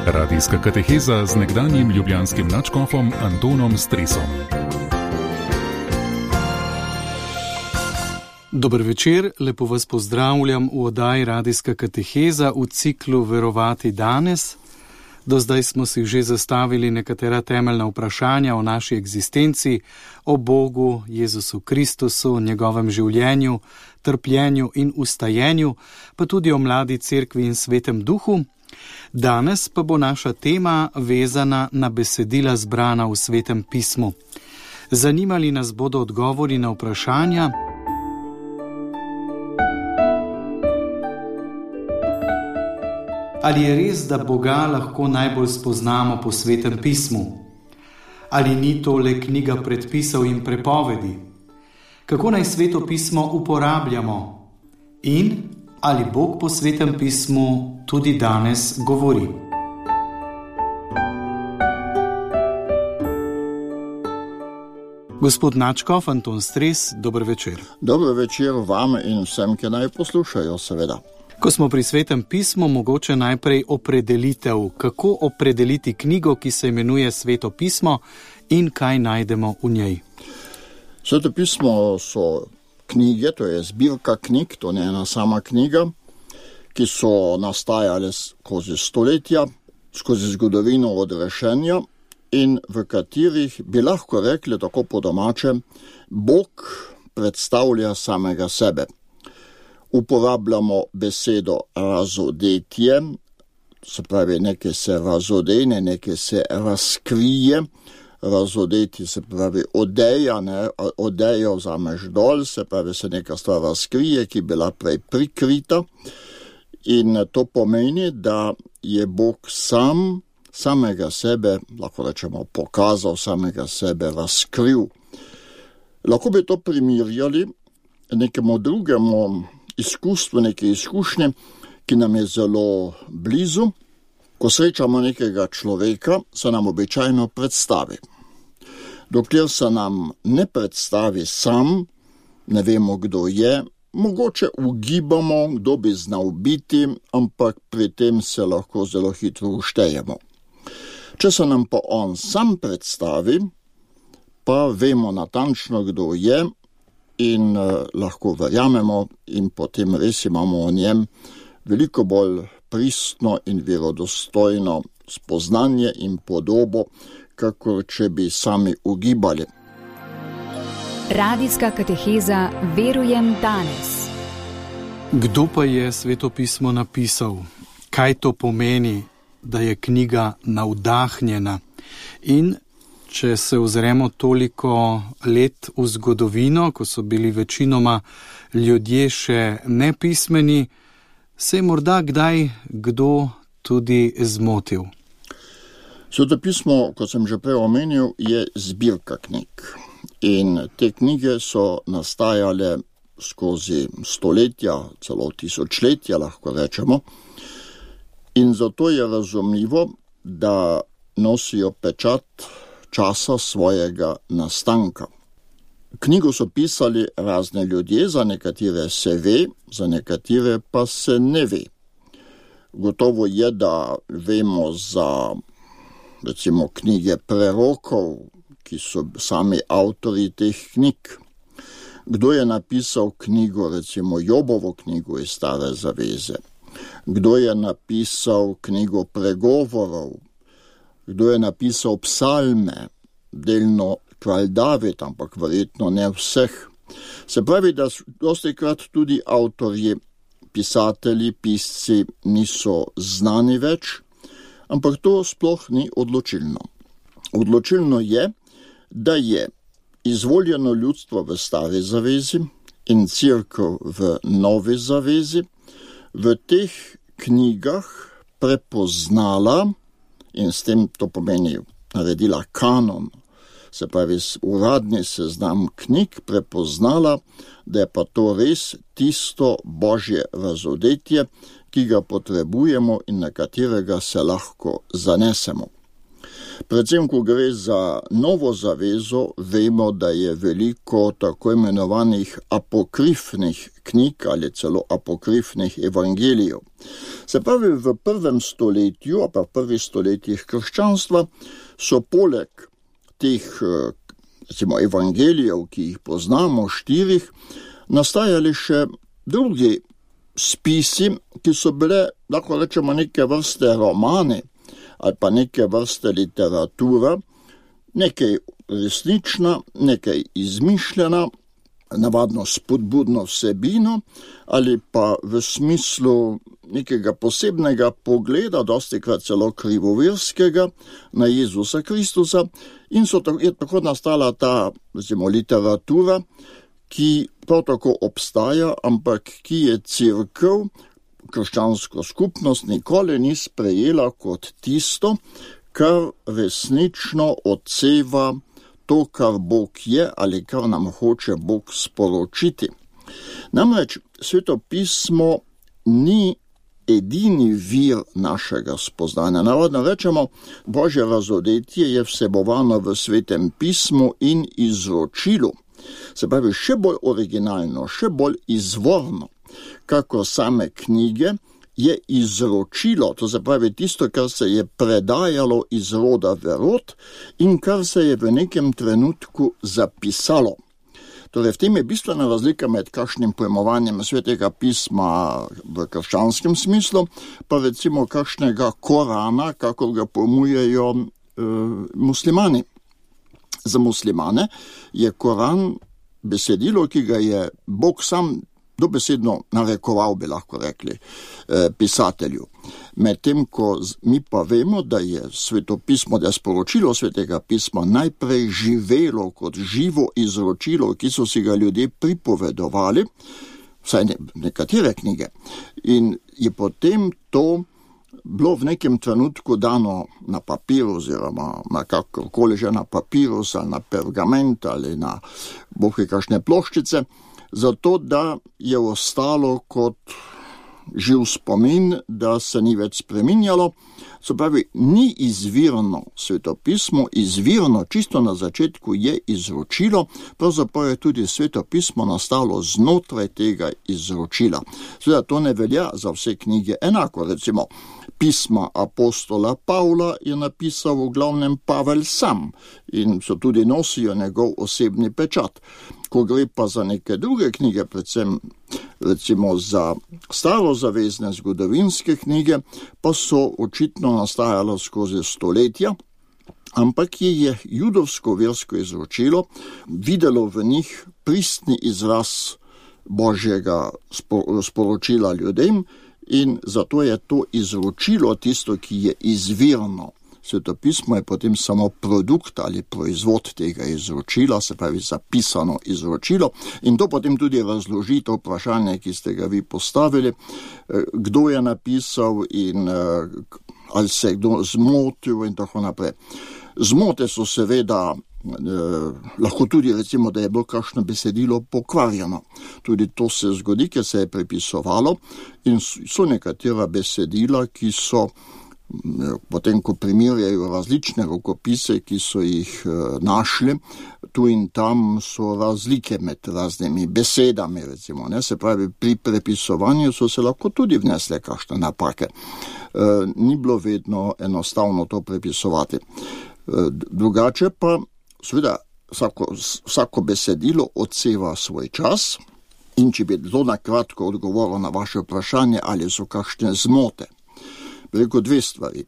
Radijska kateheza z nekdanjim ljubljanskim nadškofom Antonom Stresom. Dober večer, lepo vas pozdravljam v oddaji Radijska kateheza v ciklu Verovati danes. Do zdaj smo si že zastavili nekatera temeljna vprašanja o naši egzistenci, o Bogu, Jezusu Kristusu, njegovem življenju, trpljenju in ustajenju, pa tudi o mladi cerkvi in svetem duhu. Danes pa bo naša tema vezana na besedila zbrana v svetem pismu. Zanimali nas bodo odgovori na vprašanja: ali je res, da Boga lahko najbolj spoznamo po svetem pismu? Ali ni to le knjiga predpisov in prepovedi? Kako naj sveto pismo uporabljamo? In ali Bog po svetem pismu tudi danes govori? Gospod nadškof Anton Stres, dober večer. Dober večer vam in vsem, ki naj poslušajo, seveda. Ko smo pri svetem pismu, mogoče najprej opredelitev. Kako opredeliti knjigo, ki se imenuje Sveto pismo, in kaj najdemo v njej? Sveto pismo so knjige, to je zbirka knjig, to ne ena sama knjiga, ki so nastajale skozi stoletja, skozi zgodovino odrešenja in v katerih bi lahko rekli tako po domače, Bog predstavlja samega sebe. Uporabljamo besedo razodetje, se pravi, nekaj se razodene, nekaj se razkrije. Razodeti se pravi odeja, odejo vzameš dol, se pravi, se neka stvar razkrije, ki je bila prej prikrita. In to pomeni, da je Bog samega sebe, lahko rečemo, pokazal, samega sebe razkril. Lahko bi to primerjali nekemu drugemu izkustvu, neke izkušnje, ki nam je zelo blizu. Ko srečamo nekega človeka, se nam običajno predstavi. Dokler se nam ne predstavi sam, ne vemo, kdo je, mogoče ugibamo, kdo bi znal biti, ampak pri tem se lahko zelo hitro uštejemo. Če se nam pa on sam predstavi, pa vemo natančno, kdo je, in lahko verjamemo in potem res imamo o njem veliko bolj pristno in verodostojno spoznanje in podobo, kakor če bi sami ugibali. Radijska kateheza Verujem danes. Kdo pa je sveto pismo napisal? Kaj to pomeni, da je knjiga navdahnjena? In če se ozremo toliko let v zgodovino, ko so bili večinoma ljudje še nepismeni, se je morda kdaj kdo tudi zmotil. Sveto pismo, kot sem že prej omenil, je zbirka knjig. In te knjige so nastajale skozi stoletja, celo tisočletja, lahko rečemo. In zato je razumljivo, da nosijo pečat časa svojega nastanka. Knjigo so pisali razne ljudje, za nekatere se ve, za nekatere pa se ne ve. Gotovo je, da vemo za recimo knjige prerokov, ki so sami avtori teh knjig. Kdo je napisal knjigo, recimo Jobovo knjigo iz Stare zaveze? Kdo je napisal knjigo pregovorov? Kdo je napisal psalme? Delno kralj David, ampak verjetno ne vseh. Se pravi, da dostikrat tudi avtorji, pisatelji, pisci niso znani več, ampak to sploh ni odločilno. Odločilno je, da je izvoljeno ljudstvo v Stari zavezi in cerkev v Novi zavezi v teh knjigah prepoznala, in s tem to pomeni naredila kanon, se pravi uradni seznam knjig, prepoznala, da je pa to res tisto božje razodetje, ki ga potrebujemo in na katerega se lahko zanesemo. Predvsem, ko gre za Novo zavezo, vemo, da je veliko tako imenovanih apokrifnih knjig ali celo apokrifnih evangelijev. Se pravi, v prvem stoletju, pa v prvih stoletjih krščanstva, so poleg teh evangelijev, ki jih poznamo, 4, nastajali še drugi spisi, ki so bile, lahko rečemo, neke vrste romani ali pa neke vrste literatura, nekaj resnična, nekaj izmišljena, navadno spodbudno vsebino ali pa v smislu nekega posebnega pogleda, dostikrat celo krivoverskega, na Jezusa Kristusa, in je tako nastala ta literatura, ki prav tako obstaja, ampak ki je cerkev, krščansko skupnost nikoli ni sprejela kot tisto, kar resnično odseva to, kar Bog je ali kar nam hoče Bog sporočiti. Namreč Sveto pismo ni edini vir našega spoznanja. Navadno rečemo, Božje razodetje je vsebovano v Svetem pismu in izročilu. Se pravi, še bolj originalno, še bolj izvorno, kako same knjige, je izročilo, to se pravi tisto, kar se je predajalo iz roda v rod in kar se je v nekem trenutku zapisalo. Torej, v tem je bistvena razlika med kakšnim pojmovanjem Svetega pisma v krščanskem smislu, pa recimo kakšnega Korana, kako ga pojmujejo muslimani. Za muslimane je Koran besedilo, ki ga je Bog sam dobesedno narekoval, bi lahko rekli, pisatelju. Medtem ko mi pa vemo, da je svetopismo, da je sporočilo Svetega pisma najprej živelo kot živo izročilo, ki so si ga ljudje pripovedovali, vsaj nekatere knjige, in je potem to bilo v nekem trenutku dano na papir oziroma na kakorkoli že na papirus ali na pergament ali na kakšne ploščice, zato da je ostalo kot živ spomin, da se ni več spreminjalo. Se pravi, ni izvirno svetopismo, izvirno čisto na začetku je izročilo, pravzaprav je tudi svetopismo nastalo znotraj tega izročila. Seveda to ne velja za vse knjige enako, recimo pisma apostola Pavla je napisal v glavnem Pavel sam in so tudi nosijo njegov osebni pečat. Ko gre pa za neke druge knjige, predvsem recimo za starozavezne zgodovinske knjige, pa so očitno nastajalo skozi stoletja, ampak je judovsko versko izročilo videlo v njih pristni izraz Božjega sporočila ljudem in zato je to izročilo tisto, ki je izvirno. Svetopismo je potem samo produkt ali proizvod tega izročila, se pravi zapisano izročilo, in to potem tudi razloži to vprašanje, ki ste ga vi postavili, kdo je napisal in ali se je kdo zmotil in tako naprej. Zmote so seveda, lahko tudi recimo, da je bilo kakšno besedilo pokvarjeno. Tudi to se zgodi, ker se je prepisovalo in so nekatera besedila, ki so potem, ko primerjajo različne rokopise, ki so jih našli, tu in tam so razlike med raznimi besedami, recimo, ne? Se pravi, pri prepisovanju so se lahko tudi vnesle kakšne napake. Ni bilo vedno enostavno to prepisovati. Drugače pa, seveda, vsako besedilo odseva svoj čas in če bi zelo na kratko odgovoril na vaše vprašanje, ali so kakšne zmote. Veliko dve stvari.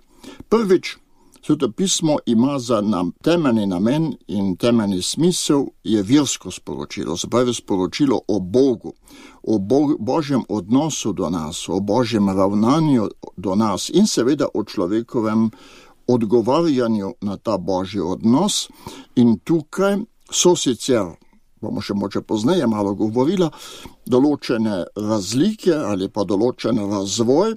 Prvič, svetopismo ima za temeljni namen in temeljni smisel je versko sporočilo, se pravi sporočilo o Bogu, o Božjem odnosu do nas, o Božjem ravnanju do nas in seveda o človekovem odgovarjanju na ta Božji odnos. In tukaj so sicer, bomo še moče pozneje malo govorila, določene razlike ali pa določen razvoj,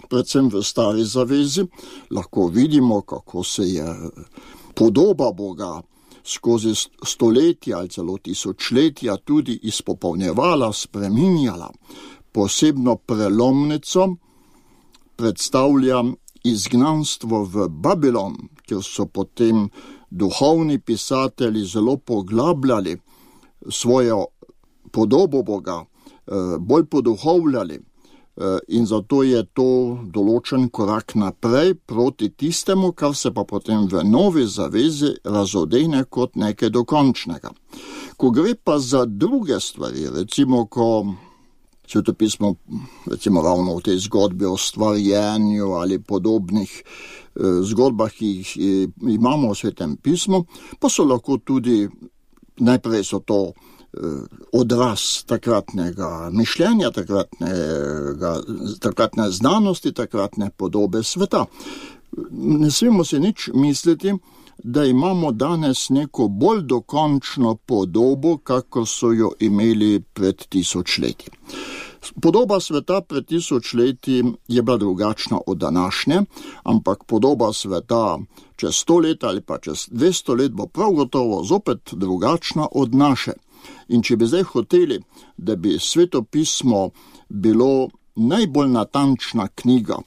predvsem v stari zavezi. Lahko vidimo, kako se je podoba Boga skozi stoletja ali celo tisočletja tudi izpopolnjevala, spreminjala. Posebno prelomnico predstavlja izgnanstvo v Babilon, kjer so potem duhovni pisatelji zelo poglabljali svojo podobo Boga, bolj poduhovljali, in zato je to določen korak naprej proti tistemu, kar se pa potem v novi zavezi razodene kot nekaj dokončnega. Ko gre pa za druge stvari, recimo, ko Svetopismo, recimo ravno v tej zgodbi o stvarjenju ali podobnih zgodbah, ki jih imamo v Svetem pismu, pa so lahko tudi, najprej so to odraz takratnega mišljenja, takratne znanosti, takratne podobe sveta. Ne smemo se nič misliti, da imamo danes neko bolj dokončno podobo, kako so jo imeli pred 1000 leti. Podoba sveta pred 1000 leti je bila drugačna od današnje, ampak podoba sveta čez 100 let ali pa čez 200 let bo prav gotovo zopet drugačna od naše. In če bi zdaj hoteli, da bi Svetopismo bilo najbolj natančna knjiga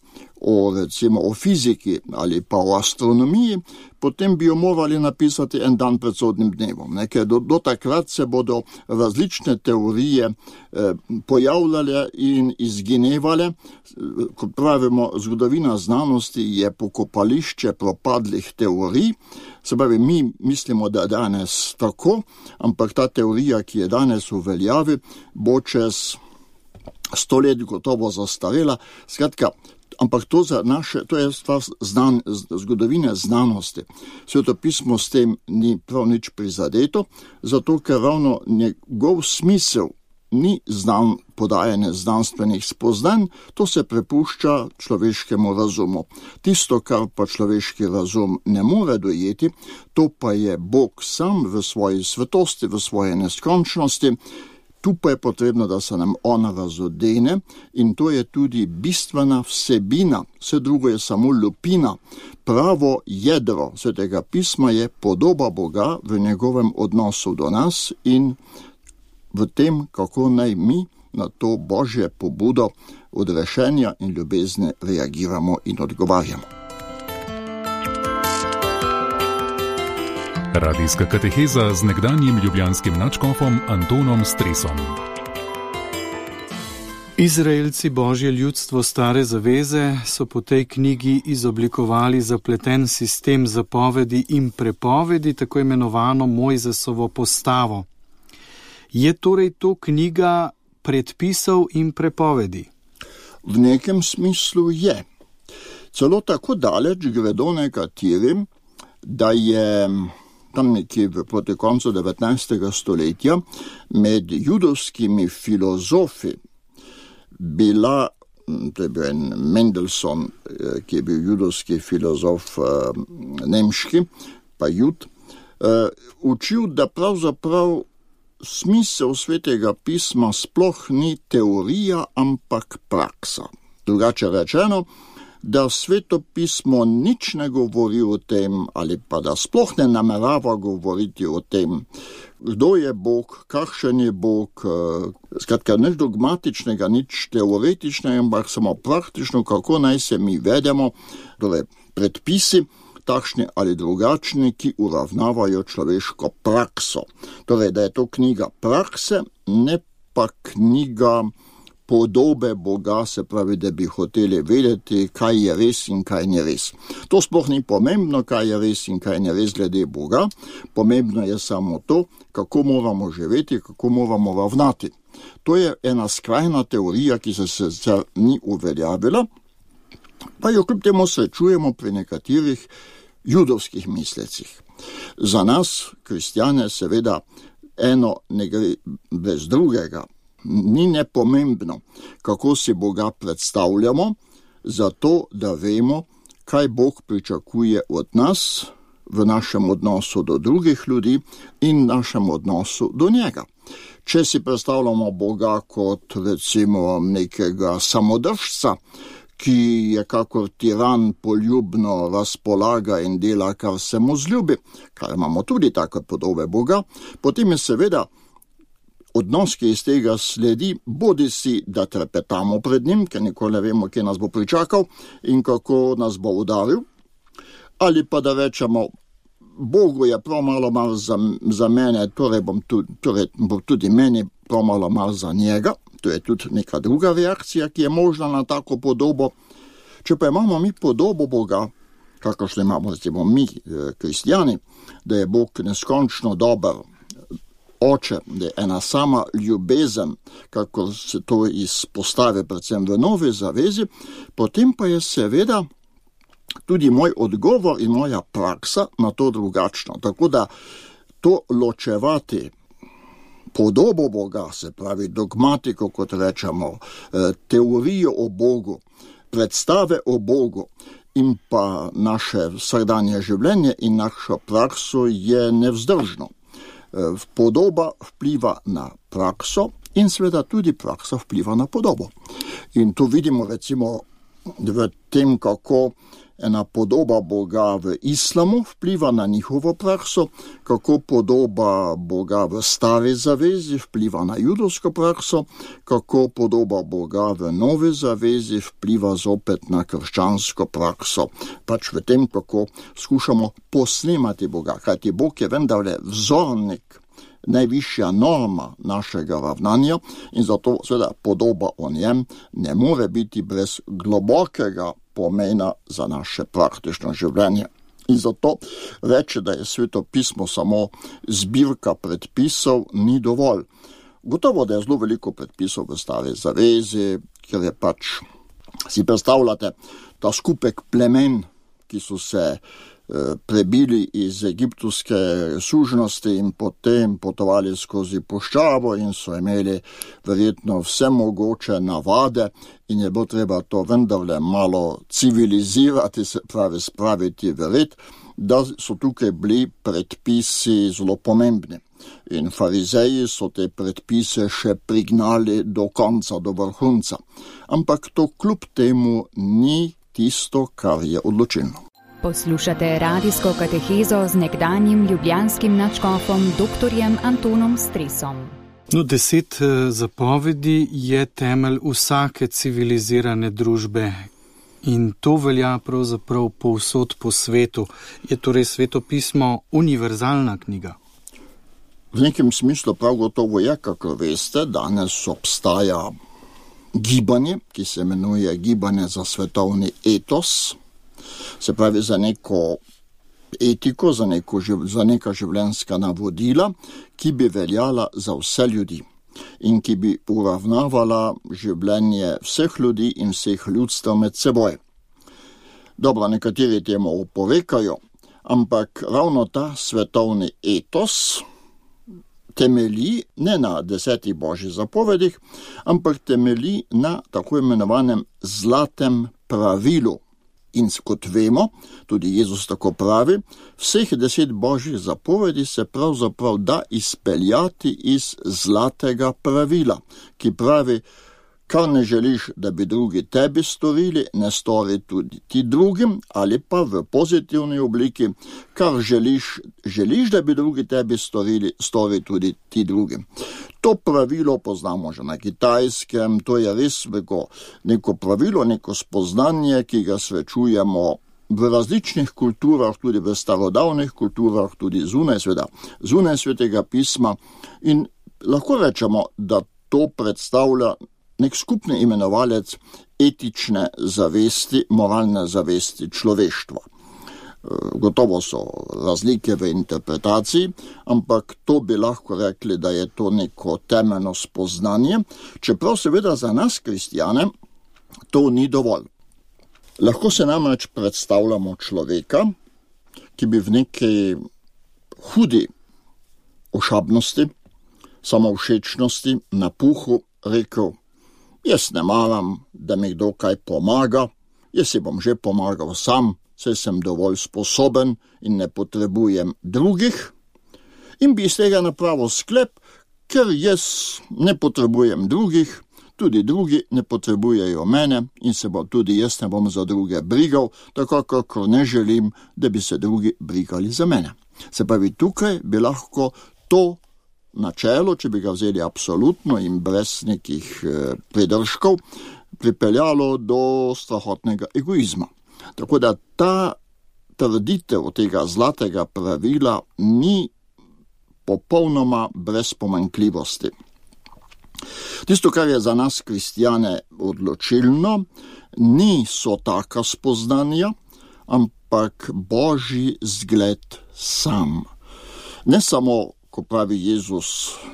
recimo o fiziki ali pa o astronomiji, potem bi jo morali napisati en dan pred sodnim dnevom. Ker do takrat se bodo različne teorije pojavljale in izginevale. Kot pravimo, zgodovina znanosti je pokopališče propadlih teorij. Se pravi, mi mislimo, da danes tako, ampak ta teorija, ki je danes v veljavi, bo čez 100 let gotovo zastarela. Skratka, ampak to je stvar zgodovine znanosti. Svetopismo s tem ni prav nič prizadeto, zato ker ravno njegov smisel ni podajanje znanstvenih spoznanj, to se prepušča človeškemu razumu. Tisto, kar pa človeški razum ne more dojeti, to pa je Bog sam v svoji svetosti, v svoji neskončnosti. Tu pa je potrebno, da se nam on razodene, in to je tudi bistvena vsebina, vse drugo je samo lupina. Pravo jedro Svetega pisma je podoba Boga v njegovem odnosu do nas in v tem, kako naj mi na to Božje pobudo odrešenja in ljubezni reagiramo in odgovarjamo. Radijska kateheza z nekdanjim ljubljanskim nadškofom Antonom Stresom. Izraelci, Božje ljudstvo stare zaveze, so po tej knjigi izoblikovali zapleten sistem zapovedi in prepovedi, tako imenovano Mojzesovo postavo. Je torej to knjiga predpisov in prepovedi? V nekem smislu je. Celo tako daleč gredo nekaterim, da je tam nekje proti koncu 19. stoletja med judovskimi filozofi bila, to je bil en Mendelssohn, ki je bil judovski filozof nemški, pa jud, učil, da pravzaprav smisel Svetega pisma sploh ni teorija, ampak praksa. Drugače rečeno, da Sveto pismo nič ne govori o tem, ali pa da sploh ne namerava govoriti o tem, kdo je Bog, kakšen je Bog, skratka, nič dogmatičnega, nič teoretičnega, ampak samo praktično, kako naj se mi vedemo, torej predpisi, takšni ali drugačni, ki uravnavajo človeško prakso. Torej, da je to knjiga prakse, ne pa knjiga podobe Boga, se pravi, da bi hoteli vedeti, kaj je res in kaj ni res. To sploh ni pomembno, kaj je res in kaj ni res glede Boga, pomembno je samo to, kako moramo živeti, kako moramo ravnati. To je ena skrajna teorija, ki se ni uveljavila, pa jo kljub temu srečujemo pri nekaterih judovskih mislecih. Za nas, kristjane, seveda eno ne gre brez drugega. Ni nepomembno, kako si Boga predstavljamo, zato da vemo, kaj Bog pričakuje od nas v našem odnosu do drugih ljudi in našem odnosu do njega. Če si predstavljamo Boga kot recimo nekega samodržca, ki je kakor tiran poljubno razpolaga in dela, kar se mu zljubi, kar imamo tudi take podobe Boga, potem je seveda odnos, ki iz tega sledi, bodi si, da trepetamo pred njim, ker nikoli ne vemo, kje nas bo pričakal in kako nas bo udaril, ali pa da rečemo, Bogu je prav malo za mene, torej bo tudi meni prav malo za njega. To je tudi neka druga reakcija, ki je možna na tako podobo. Če pa imamo mi podobo Boga, kakršno imamo recimo mi, kristjani, da je Bog neskončno dober oče, da je ena sama ljubezen, kako se to izpostavi predvsem v Novi zavezi, potem pa je seveda tudi moj odgovor in moja praksa na to drugačno. Tako da to ločevati podobo Boga, se pravi dogmatiko, kot rečemo, teorijo o Bogu, predstave o Bogu in pa naše vsakdanje življenje in našo prakso je nevzdržno. Podoba vpliva na prakso in seveda tudi praksa vpliva na podobo. In tu vidimo recimo v tem, kako ena podoba Boga v islamu vpliva na njihovo prakso, kako podoba Boga v Stari zavezi vpliva na judovsko prakso, kako podoba Boga v Novi zavezi vpliva zopet na krščansko prakso. Pač v tem, kako skušamo posnemati Boga, kajti Bog je vendarle vzornik, najvišja norma našega ravnanja in zato seveda podoba o njem ne more biti brez globokega pomena za naše praktično življenje. In zato reči, da je Sveto pismo samo zbirka predpisov, ni dovolj. Gotovo, da je zelo veliko predpisov v Stari zavezi, ker je pač, si predstavljate, ta skupek plemen, ki so se prebili iz egiptovske sužnosti in potem potovali skozi puščavo in so imeli verjetno vse mogoče navade in je bilo treba to vendarle malo civilizirati, se pravi spraviti v red, da so tukaj bili predpisi zelo pomembni. In farizeji so te predpise še prignali do konca, do vrhunca. Ampak to kljub temu ni tisto, kar je odločilno. Poslušate radijsko katehezo z nekdanjim ljubljanskim nadškofom dr. Antonom Stresom. 10 zapovedi je temelj vsake civilizirane družbe in to velja pravzaprav povsod po svetu. Je torej Sveto pismo univerzalna knjiga? V nekem smislu prav gotovo je, kako veste, danes obstaja gibanje, ki se imenuje gibanje za svetovni etos, se pravi za neko etiko, za neka življenjska navodila, ki bi veljala za vse ljudi in ki bi uravnavala življenje vseh ljudi in vseh ljudstev med seboj. Dobro, nekateri temu oporekajo, ampak ravno ta svetovni etos temelji ne na 10 božjih zapovedih, ampak temelji na tako imenovanem zlatem pravilu. In kot vemo, tudi Jezus tako pravi, vseh 10 božjih zapovedi se pravzaprav da izpeljati iz zlatega pravila, ki pravi, kar ne želiš, da bi drugi tebi storili, ne stori tudi ti drugim, ali pa v pozitivni obliki, kar želiš, da bi drugi tebi storili, stori tudi ti drugim. To pravilo poznamo že na Kitajskem, to je res neko pravilo, neko spoznanje, ki ga srečujemo v različnih kulturah, tudi v starodavnih kulturah, tudi zunaj Svetega pisma in lahko rečemo, da to predstavlja nek skupni imenovalec etične zavesti, moralne zavesti človeštva. Gotovo so razlike v interpretaciji, ampak to bi lahko rekli, da je to neko temeljno spoznanje, čeprav seveda za nas kristjane to ni dovolj. Lahko se namreč predstavljamo človeka, ki bi v neki hudi ošabnosti, samovšečnosti, napuhu rekel, jaz ne maram, da mi kdo kaj pomaga, jaz si bom že pomagal sam, saj sem dovolj sposoben in ne potrebujem drugih, in bi iz tega napravil sklep, ker jaz ne potrebujem drugih, tudi drugi ne potrebujejo mene in se tudi jaz ne bom za druge brigal, tako kakor ne želim, da bi se drugi brigali za mene. Se pravi, tukaj bi lahko to načelo, če bi ga vzeli absolutno in brez nekih pridržkov, pripeljalo do strahotnega egoizma. Tako da ta trditev tega zlatega pravila ni popolnoma brez pomanjkljivosti. Tisto, kar je za nas kristjane odločilno, niso taka spoznanja, ampak Božji zgled sam. Ne samo, ko pravi Jezus,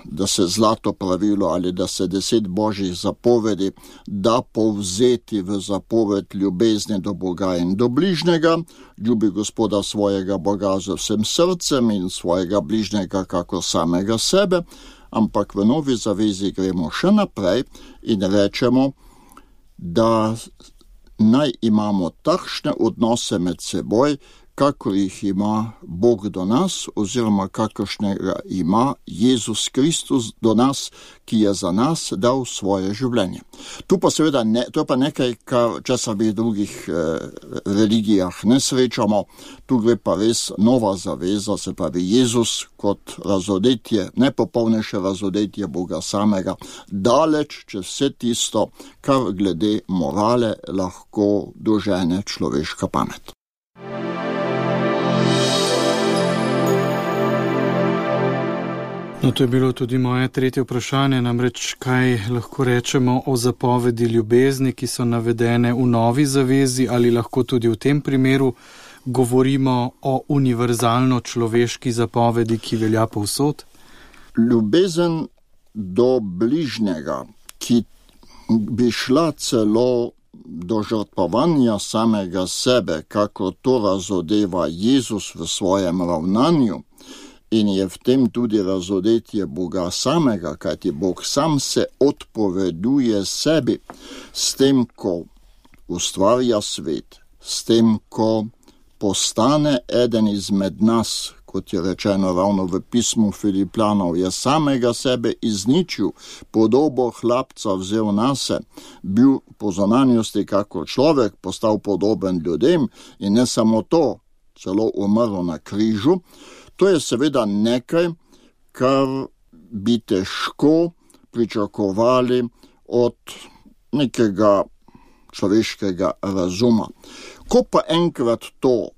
da se zlato pravilo ali da se 10 Božjih zapovedi da povzeti v zapoved ljubezni do Boga in do bližnjega, ljubi Gospoda svojega Boga z vsem srcem in svojega bližnjega kako samega sebe, ampak v novi zavezi gremo še naprej in rečemo, da naj imamo takšne odnose med seboj, kakor jih ima Bog do nas, oziroma kakršnega ima Jezus Kristus do nas, ki je za nas dal svoje življenje. To pa seveda to je pa nekaj, česar v drugih religijah ne srečamo. Tu gre pa res nova zaveza, se pravi Jezus kot razodetje, nepopolnejše razodetje Boga samega, daleč čez vse tisto, kar glede morale lahko dožene človeška pamet. No, to je bilo tudi moje tretje vprašanje, namreč kaj lahko rečemo o zapovedi ljubezni, ki so navedene v novi zavezi, ali lahko tudi v tem primeru govorimo o univerzalno človeški zapovedi, ki velja povsod? Ljubezen do bližnjega, ki bi šla celo do žrtvovanja samega sebe, kako to razodeva Jezus v svojem ravnanju, in je v tem tudi razodetje Boga samega, kajti Bog sam se odpoveduje sebi s tem, ko ustvarja svet, s tem, ko postane eden izmed nas, kot je rečeno ravno v pismu Filipljanov, je samega sebe izničil, podobo hlapca vzel nase, bil po zunanjosti kako človek, postal podoben ljudem in ne samo to, celo umrl na križu. To je seveda nekaj, kar bi težko pričakovali od nekega človeškega razuma. Ko pa enkrat to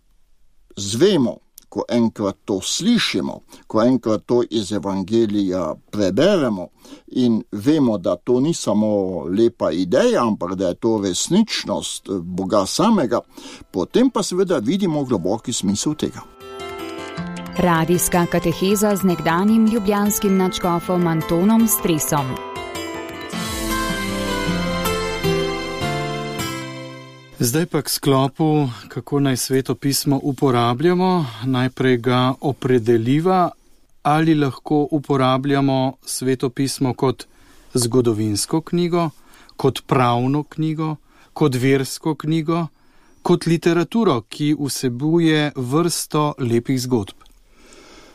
zvemo, ko enkrat to slišimo, ko enkrat to iz Evangelija preberemo in vemo, da to ni samo lepa ideja, ampak da je to resničnost Boga samega, potem pa seveda vidimo globoki smisel tega. Radijska kateheza z nekdanjim ljubljanskim nadškofom Antonom Stresom. Zdaj pa k sklopu, kako naj Sveto pismo uporabljamo. Najprej ga opredeliva, ali lahko uporabljamo Sveto pismo kot zgodovinsko knjigo, kot pravno knjigo, kot versko knjigo, kot literaturo, ki vsebuje vrsto lepih zgodb.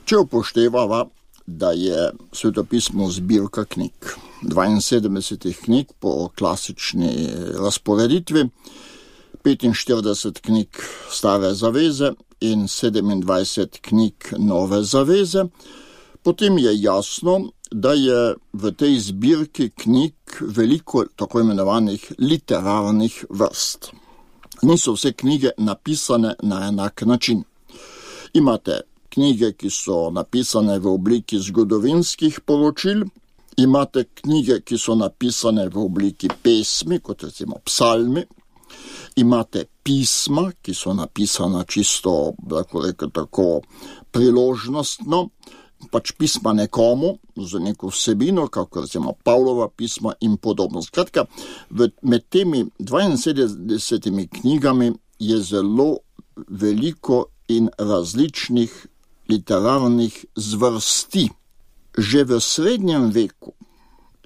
Če upoštevava, da je Sveto pismo zbirka knjig, 72 knjig po klasični razporeditvi, 45 knjig Stare zaveze in 27 knjig Nove zaveze, potem je jasno, da je v tej zbirki knjig veliko tako imenovanih literarnih vrst. Niso vse knjige napisane na enak način. Imate knjige, ki so napisane v obliki zgodovinskih poročil, imate knjige, ki so napisane v obliki pesmi, kot recimo psalmi, imate pisma, ki so napisana čisto, lahko rekel tako, priložnostno, pač pisma nekomu, z neko vsebino, kako recimo Pavlova pisma in podobno. Skratka, med temi 72 knjigami je zelo veliko in različnih literarnih zvrsti. Že v srednjem veku,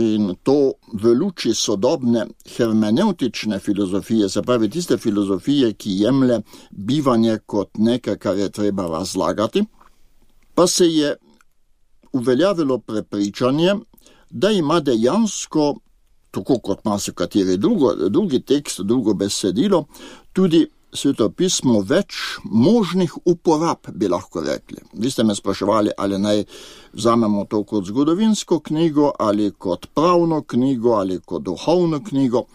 in to v luči sodobne hermeneutične filozofije, se pravi tiste filozofije, ki jemlje bivanje kot nekaj, kar je treba razlagati, pa se je uveljavilo prepričanje, da ima dejansko, tako kot marsikateri drugi tekst, drugo besedilo, tudi svetopismo več možnih uporab, bi lahko rekli. Vi ste me spraševali, ali naj vzamemo to kot zgodovinsko knjigo, ali kot pravno knjigo, ali kot duhovno knjigo.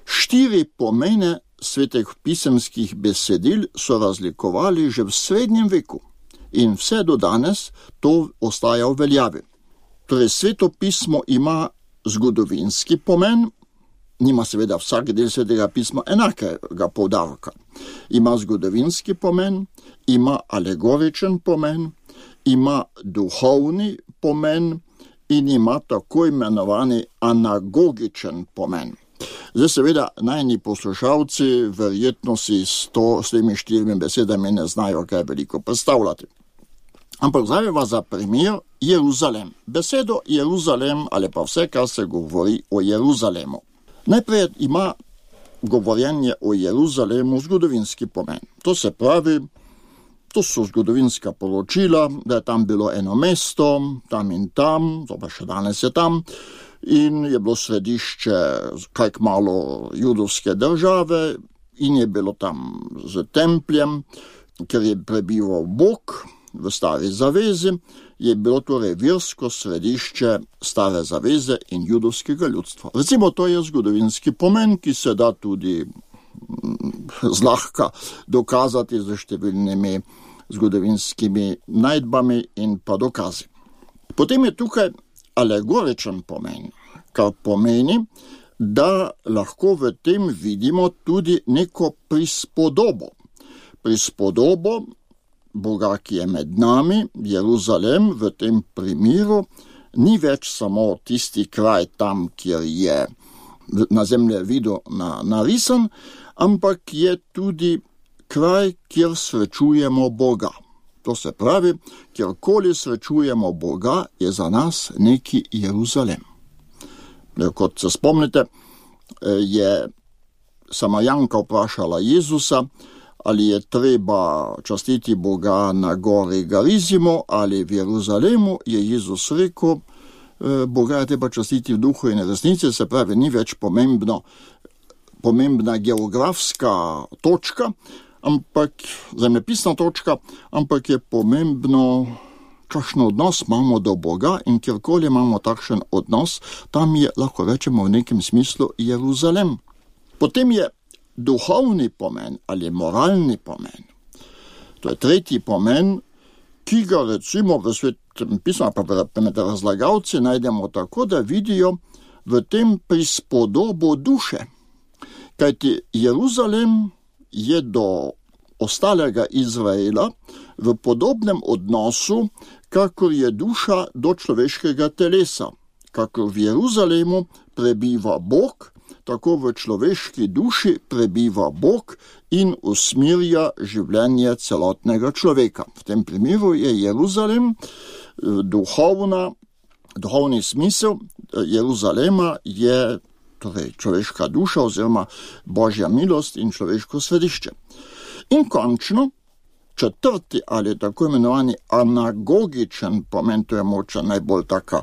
4 pomene svetih pisemskih besedil so razlikovali že v srednjem veku in vse do danes to ostaja v veljavi. Torej, svetopismo ima zgodovinski pomen, nima seveda vsak del svetega pisma enakega poudarka. Ima zgodovinski pomen, ima alegoričen pomen, ima duhovni pomen in ima tako imenovani anagogičen pomen. Zdaj seveda najni poslušalci verjetno si s temi 4 besedami ne znajo kaj veliko predstavljati. Ampak zdaj vas za primer Jeruzalem. Besedo Jeruzalem ali pa vse, kar se govori o Jeruzalemu. Najprej ima govorjenje o Jeruzalemu zgodovinski pomen. To se pravi, to so zgodovinska poročila, da je tam bilo eno mesto, tam in tam, to pa še danes je tam, in je bilo središče kaj kmalu judovske države in je bilo tam z templjem, ker je prebival Bog v Stari zavezi, je bilo torej versko središče Stare zaveze in judovskega ljudstva. Recimo, to je zgodovinski pomen, ki se da tudi zlahka dokazati z številnimi zgodovinskimi najdbami in pa dokazi. Potem je tukaj alegoričen pomen, kar pomeni, da lahko v tem vidimo tudi neko prispodobo. Prispodobo Boga, ki je med nami, Jeruzalem v tem primeru, ni več samo tisti kraj tam, kjer je na zemljevidu narisan, ampak je tudi kraj, kjer srečujemo Boga. To se pravi, kjerkoli srečujemo Boga, je za nas neki Jeruzalem. Kot se spomnite, je Samarijanka vprašala Jezusa, ali je treba častiti Boga na gori Garizimo ali v Jeruzalemu, je Jezus rekel, Boga je treba častiti v duhu in resnici, se pravi, ni več pomembna geografska točka, ampak zemljepisna točka, ampak je pomembno, kakšen odnos imamo do Boga, in kjerkoli imamo takšen odnos, tam je, lahko rečemo v nekem smislu, Jeruzalem. Potem je duhovni pomen ali moralni pomen. To je tretji pomen, ki ga recimo v svetem pismu, pa med razlagalci najdemo tako, da vidijo v tem prispodobo duše. Kajti Jeruzalem je do ostalega Izraela v podobnem odnosu, kakor je duša do človeškega telesa. Kakor v Jeruzalemu prebiva Bog, tako v človeški duši prebiva Bog in usmerja življenje celotnega človeka. V tem primeru je Jeruzalem duhovni smisel Jeruzalema je torej človeška duša oziroma Božja milost in človeško središče. In končno, 4. ali tako imenovani anagogičen pomen, to je moča najbolj taka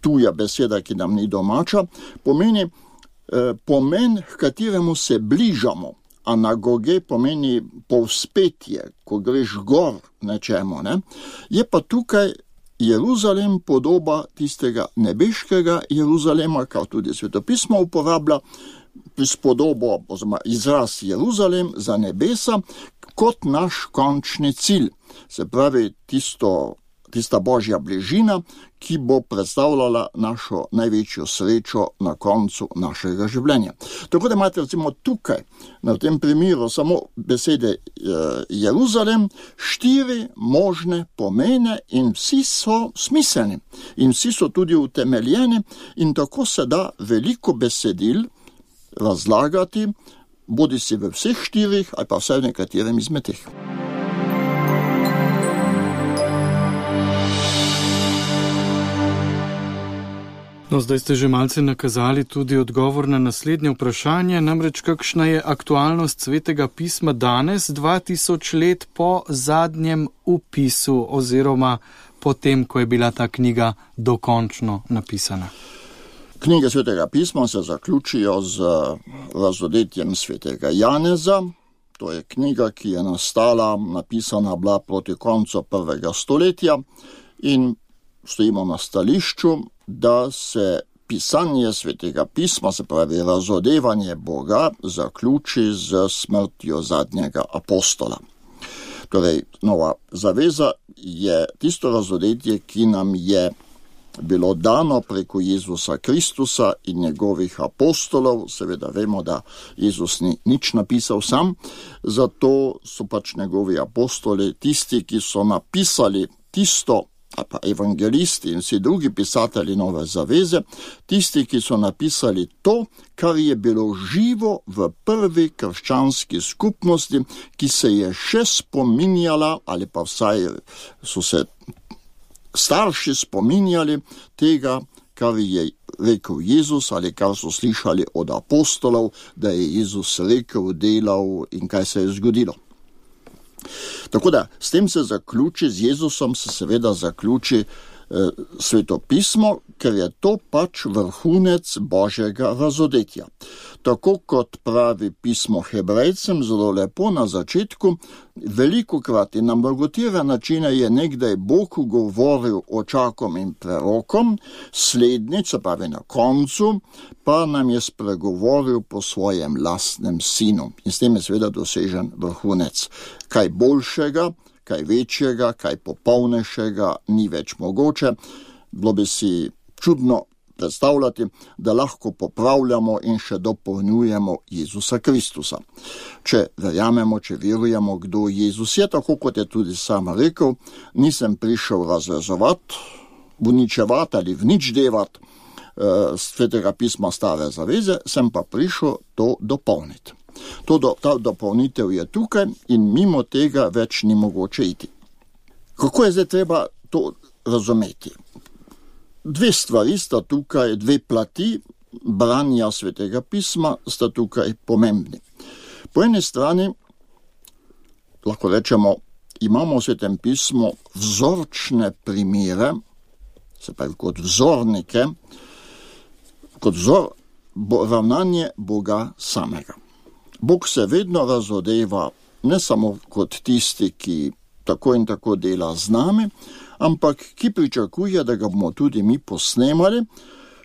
tuja beseda, ki nam ni domača, pomeni pomen, k kateremu se bližamo. Anagoge pomeni povzpetje, ko greš gor nečemu, ne? Je pa tukaj Jeruzalem podoba tistega nebeškega Jeruzalema, kar tudi svetopismo uporablja, prispodobo oziroma izraz Jeruzalem za nebesa kot naš končni cilj. Se pravi, tista Božja bližina, ki bo predstavljala našo največjo srečo na koncu našega življenja. Tako da imate recimo tukaj, na tem primeru, samo besede Jeruzalem, 4 možne pomene in vsi so smiselni in vsi so tudi utemeljeni in tako se da veliko besedil razlagati, bodi si v vseh 4 ali pa vsaj v nekaterem izmed teh. No, zdaj ste že malce nakazali tudi odgovor na naslednje vprašanje, namreč kakšna je aktualnost svetega pisma danes, 2000 let po zadnjem vpisu oziroma po tem, ko je bila ta knjiga dokončno napisana. Knjige svetega pisma se zaključijo z razodetjem svetega Janeza to je knjiga, ki je napisana bila proti koncu 1. stoletja in stojimo na stališču, da se pisanje Svetega pisma, se pravi razodevanje Boga, zaključi z smrtjo zadnjega apostola. Torej, nova zaveza je tisto razodetje, ki nam je bilo dano preko Jezusa Kristusa in njegovih apostolov. Seveda vemo, da Jezus ni nič napisal sam, zato so pač njegovi apostoli tisti, ki so napisali tisto, ali pa evangelisti in vsi drugi pisatelji nove zaveze, tisti, ki so napisali to, kar je bilo živo v prvi krščanski skupnosti, ki se je še spominjala, ali pa vsaj so se starši spominjali tega, kar je rekel Jezus ali kar so slišali od apostolov, da je Jezus rekel, delal in kaj se je zgodilo. Tako da, s tem se zaključi, z Jezusom se seveda zaključi Sveto pismo, ker je to pač vrhunec Božjega razodetja. Tako kot pravi pismo Hebrejcem zelo lepo na začetku, velikokrat in na mnogotere načine je nekdaj Bog govoril očakom in prerokom, slednjič, se pravi na koncu, pa nam je spregovoril po svojem lastnem sinu. In s tem je seveda dosežen vrhunec. Kaj boljšega, kaj večjega, kaj popolnejšega ni več mogoče. Bilo bi si čudno predstavljati, da lahko popravljamo in še dopolnjujemo Jezusa Kristusa. Če verjamemo, če verujemo, kdo Jezus je, tako kot je tudi sam rekel, nisem prišel razrezovati, uničevati ali vničdevati Svetega pisma stare zaveze, sem pa prišel to dopolniti. Ta dopolnitev je tukaj in mimo tega več ni mogoče iti. Kako je zdaj treba to razumeti? Dve stvari sta tukaj, dve plati branja Svetega pisma sta tukaj pomembni. Po eni strani, lahko rečemo, imamo v Svetem pismu vzorčne primere, se pravi kot vzornike, kot vzor ravnanje Boga samega. Bog se vedno razodeva ne samo kot tisti, ki tako in tako dela z nami, ampak ki pričakuje, da ga bomo tudi mi posnemali,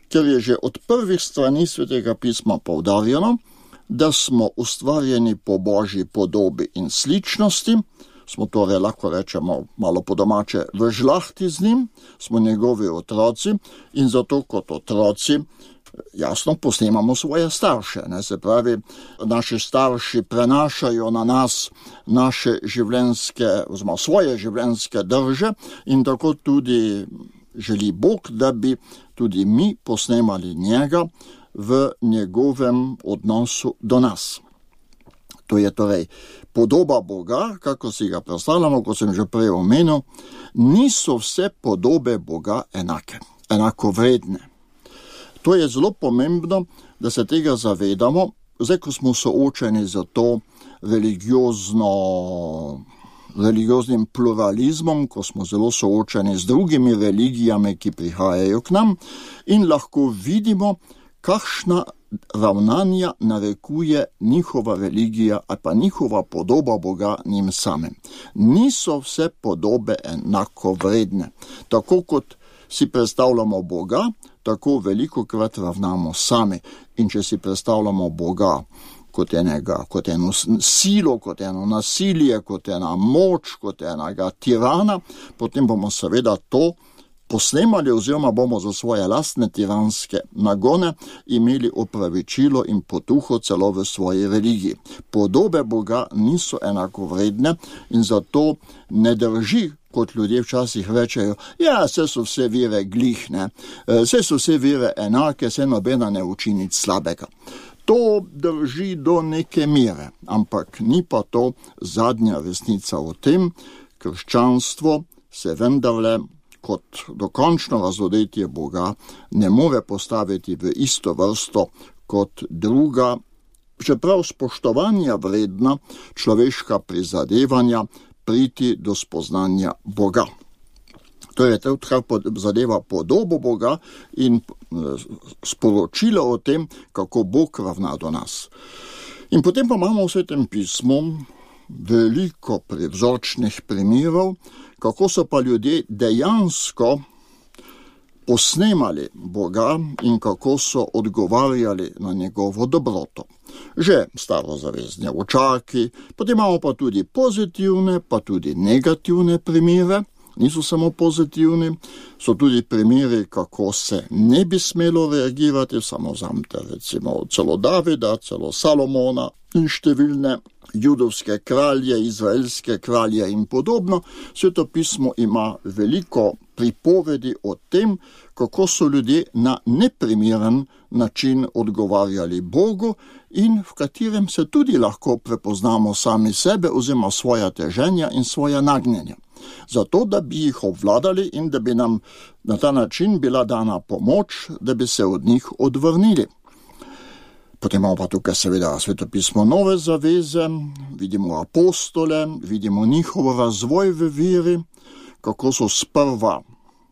ker je že od prvih strani Svetega pisma poudarjeno, da smo ustvarjeni po Božji podobi in sličnosti, smo torej, lahko rečemo malo po domače, v žlahti z njim, smo njegovi otroci in zato kot otroci jasno posnemamo svoje starše. Se pravi, naši starši prenašajo na nas naše življenjske, oziroma svoje življenjske drže in tako tudi želi Bog, da bi tudi mi posnemali njega v njegovem odnosu do nas. To je torej podoba Boga, kako si ga predstavljamo, kot sem že prej omenil, niso vse podobe Boga enako vredne. To je zelo pomembno, da se tega zavedamo, zdaj ko smo soočeni z to religioznim pluralizmom, ko smo zelo soočeni z drugimi religijami, ki prihajajo k nam in lahko vidimo, kakšna ravnanja narekuje njihova religija ali pa njihova podoba Boga njim samim. Niso vse podobe enako vredne. Tako kot si predstavljamo Boga, tako velikokrat ravnamo sami. In če si predstavljamo Boga kot eno silo, kot eno nasilje, kot ena moč, kot enega tirana, potem bomo seveda to posnemali oziroma bomo za svoje lastne tiranske nagone imeli opravičilo in potuho celo v svoji religiji. Podobe Boga niso enako vredne in zato ne drži, kot ljudje včasih rečejo, saj so vse vere glihne, saj so vse vere enake, saj nobena ne uči nič slabega. To drži do neke mere, ampak ni pa to zadnja resnica o tem. Krščanstvo se vendarle kot dokončno razodetje Boga ne more postaviti v isto vrsto kot druga, čeprav spoštovanja vredna človeška prizadevanja priti do spoznanja Boga. To je to, kar zadeva podobo Boga in sporočilo o tem, kako Bog ravna do nas. In potem pa imamo v Svetem pismu veliko vzorčnih primerov, kako so pa ljudje dejansko posnemali Boga in kako so odgovarjali na njegovo dobroto. Že starozavezni učaki, potem imamo pa tudi pozitivne, pa tudi negativne primere, niso samo pozitivni, so tudi primeri, kako se ne bi smelo reagirati, samo zamte recimo celo Davida, celo Salomona in številne judovske kralje, izraelske kralje in podobno. Sveto pismo ima veliko pripovedi o tem, kako so ljudje na neprimeren način odgovarjali Bogu in v katerem se tudi lahko prepoznamo sami sebe oziroma svoja teženja in svoja nagnjenja. Zato, da bi jih obvladali in da bi nam na ta način bila dana pomoč, da bi se od njih odvrnili. Potem imamo pa tukaj seveda svetopismo Nove zaveze, vidimo apostole, vidimo njihov razvoj v veri, kako so sprva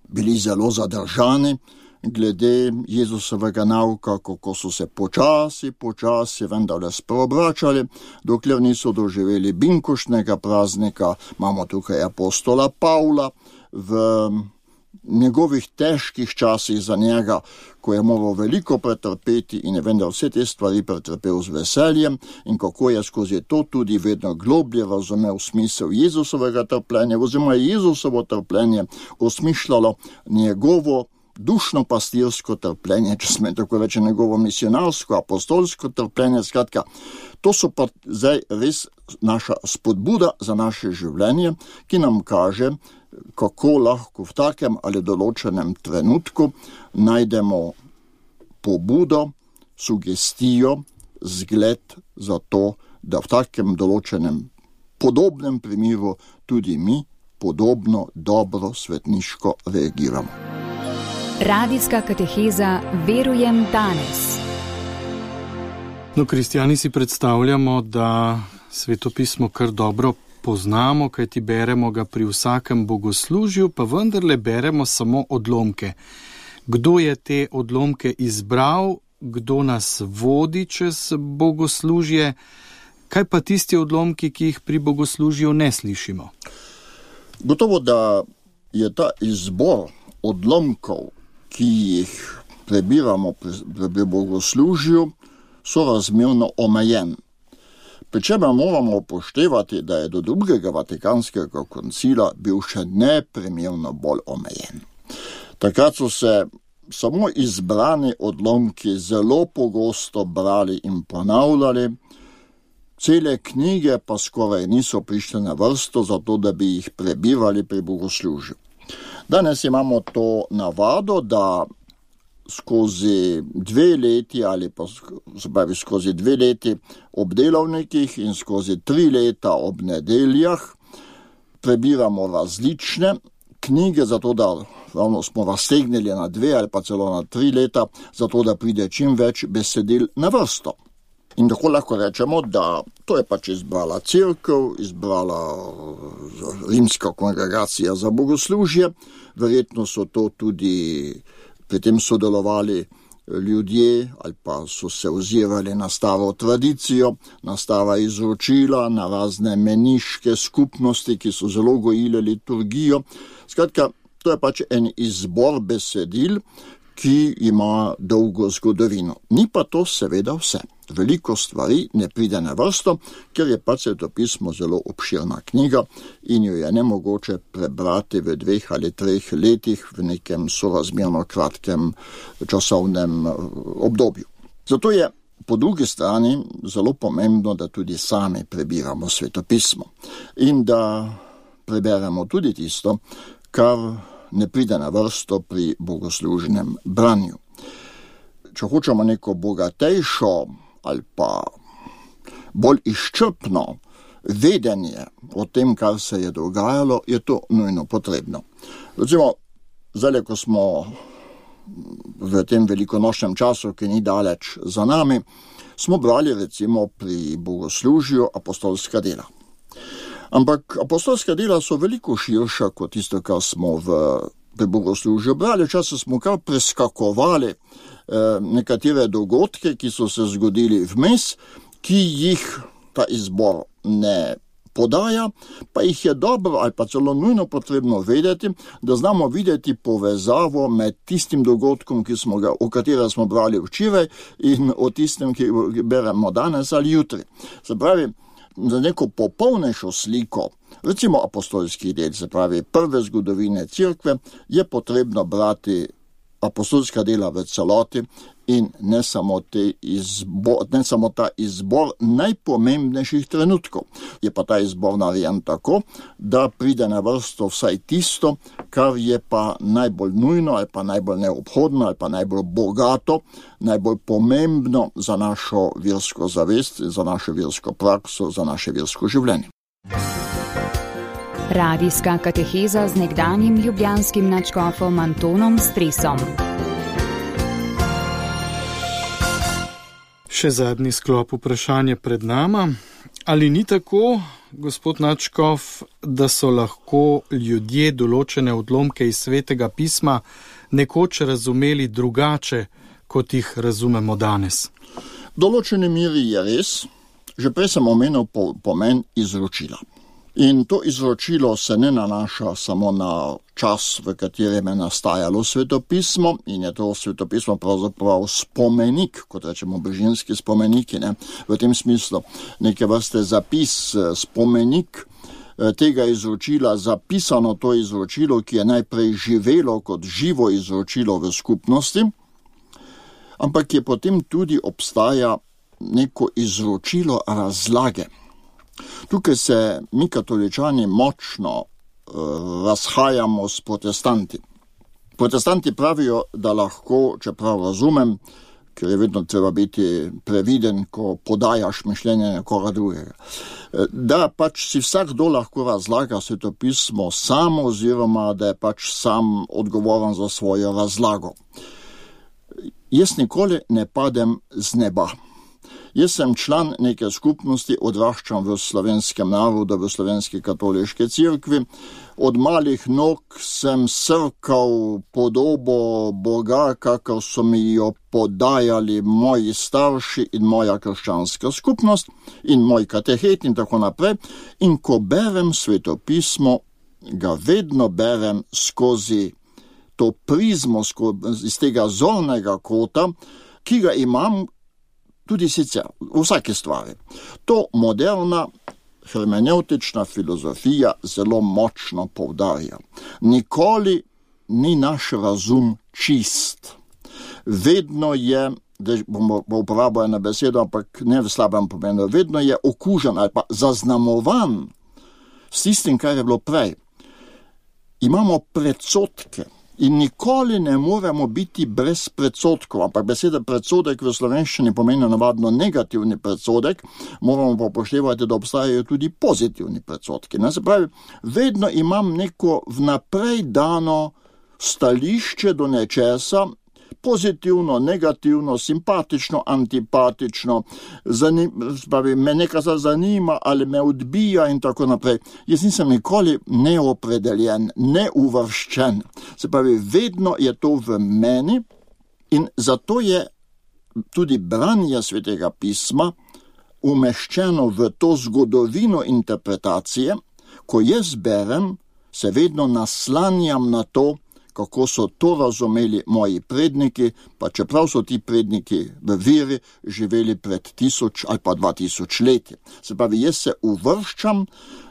bili zelo zadržani glede Jezusovega nauka, kako so se počasi vendarle spreobračali, dokler niso doživeli binkoštnega praznika. Imamo tukaj apostola Pavla v njegovih težkih časih za njega, ko je moral veliko pretrpeti in je vendar vse te stvari pretrpel z veseljem in kako je skozi to tudi vedno globlje razumel smisel Jezusovega trpljenja, oziroma Jezusovo trpljenje osmišljalo njegovo dušno pastirsko trpljenje, če sme tako reči, njegovo misionarsko, apostolsko trpljenje. Skratka, to so pa zdaj res naša spodbuda za naše življenje, ki nam kaže, kako lahko v takem ali določenem trenutku najdemo pobudo, sugestijo, zgled za to, da v takem določenem podobnem primeru tudi mi podobno dobro svetniško reagiramo. Radijska kateheza Verujem danes. No, kristjani si predstavljamo, da svetopismo kar dobro poznamo, kajti beremo ga pri vsakem bogoslužju, pa vendarle beremo samo odlomke. Kdo je te odlomke izbral, kdo nas vodi čez bogoslužje, kaj pa tisti odlomki, ki jih pri bogoslužju ne slišimo? Gotovo, da je ta izbor odlomkov, ki jih prebiramo pri bogoslužju, sorazmerno omejen. Pričemer moramo upoštevati, da je do drugega Vatikanskega koncila bil še neprimerno bolj omejen. Takrat so se samo izbrani odlomki zelo pogosto brali in ponavljali, cele knjige pa skoraj niso prišle na vrsto, zato da bi jih prebirali pri bogoslužju. Danes imamo to navado, da skozi 2 leti ali pa skozi 2 leti ob delovnikih in skozi 3 leta ob nedeljah prebiramo različne knjige, zato da smo raztegnili na 2 ali pa celo na 3 leta, zato da pride čim več besedil na vrsto. In tako lahko rečemo, da to je pač izbrala cerkev, izbrala rimska kongregacija za bogoslužje, verjetno so to tudi pri tem sodelovali ljudje ali pa so se ozirali na staro tradicijo, na stara izročila, na razne meniške skupnosti, ki so zelo gojile liturgijo. Skratka, to je pač en izbor besedil, ki ima dolgo zgodovino. Ni pa to seveda vse. Veliko stvari ne pride na vrsto, ker je pač svetopismo zelo obširna knjiga in jo je nemogoče prebrati v 2 ali 3 letih v nekem sorazmerno kratkem časovnem obdobju. Zato je po drugi strani zelo pomembno, da tudi sami prebiramo svetopismo in da preberemo tudi tisto, kar ne pride na vrsto pri bogoslužnem branju. Če hočemo neko bogatejšo ali pa bolj izčrpno vedenje o tem, kar se je dogajalo, je to nujno potrebno. Recimo, zdaj, ko smo v tem velikonočnem času, ki ni daleč za nami, smo brali recimo pri bogoslužju apostolska dela. Ampak apostolska dela so veliko širša kot tisto, kar smo pri bogoslužju brali. Včasih smo kar preskakovali nekatere dogodke, ki so se zgodili vmes ki jih ta izbor ne podaja, pa jih je dobro ali pa celo nujno potrebno vedeti, da znamo videti povezavo med tistim dogodkom, o katerem smo brali včeraj, in o tistem, ki beremo danes ali jutri. Se pravi, za neko popolnejšo sliko, recimo apostolskih del, se pravi prve zgodovine cerkve, je potrebno brati apostolska dela v celoti in ne samo ta izbor najpomembnejših trenutkov. Je pa ta izbor narejen tako, da pride na vrsto vsaj tisto, kar je pa najbolj nujno ali pa najbolj neobhodno ali pa najbolj bogato, najbolj pomembno za našo versko zavest, za našo versko prakso, za naše versko življenje. Radijska kateheza z nekdanjim ljubljanskim nadškofom Antonom Stresom. Še zadnji sklop vprašanja pred nama. Ali ni tako, gospod nadškof, da so lahko ljudje določene odlomke iz Svetega pisma nekoč razumeli drugače, kot jih razumemo danes? V določeni meri je res. Že prej sem omenil pomen izročila. In to izročilo se ne nanaša samo na čas, v katerem je nastajalo svetopismo, in je to svetopismo pravzaprav spomenik, kot rečemo brežinski spomeniki, v tem smislu neke vrste zapis, spomenik tega izročila, zapisano to izročilo, ki je najprej živelo kot živo izročilo v skupnosti, ampak je potem tudi obstaja neko izročilo razlage. Tukaj se mi katoličani močno razhajamo s protestanti. Protestanti pravijo, da lahko, čeprav razumem, ker je vedno treba biti previden, ko podajaš mišljenje nekoga drugega, da pač si vsakdo lahko razlaga svetopismo sam, oziroma da je pač sam odgovoren za svojo razlago. Jaz nikoli ne padem z neba. Jaz sem član neke skupnosti, odraščam v slovenskem narodu, v slovenski katoliški cerkvi. Od malih nog sem srkal podobo Boga, kakor so mi jo podajali moji starši in moja krščanska skupnost in moj katehet in tako naprej. In ko berem svetopismo, ga vedno berem skozi to prizmo, iz tega zornega kota, ki ga imam tudi sicer v vsaki stvari. To moderna hermeneutična filozofija zelo močno poudarja. Nikoli ni naš razum čist. Vedno je, da bomo uporabljali na besedo, ampak ne v slabem pomenu, vedno je okužen ali pa zaznamovan s tistim, kar je bilo prej. Imamo predsodke. In nikoli ne moremo biti brez predsotkov, ampak beseda predsodek v slovenščini pomeni navadno negativni predsodek, moramo pa upoštevati, da obstajajo tudi pozitivni predsodki. Se pravi, vedno imam neko vnaprej dano stališče do nečesa, pozitivno, negativno, simpatično, antipatično, me nekaj zanima ali me odbija in tako naprej. Jaz nisem nikoli neopredeljen, neuvrščen. Se pravi, vedno je to v meni in zato je tudi branje Svetega pisma umeščeno v to zgodovino interpretacije. Ko jaz berem, se vedno naslanjam na to, kako so to razumeli moji predniki, pa čeprav so ti predniki v veri živeli pred 1000 ali pa 2000 leti. Se pravi, jaz se uvrščam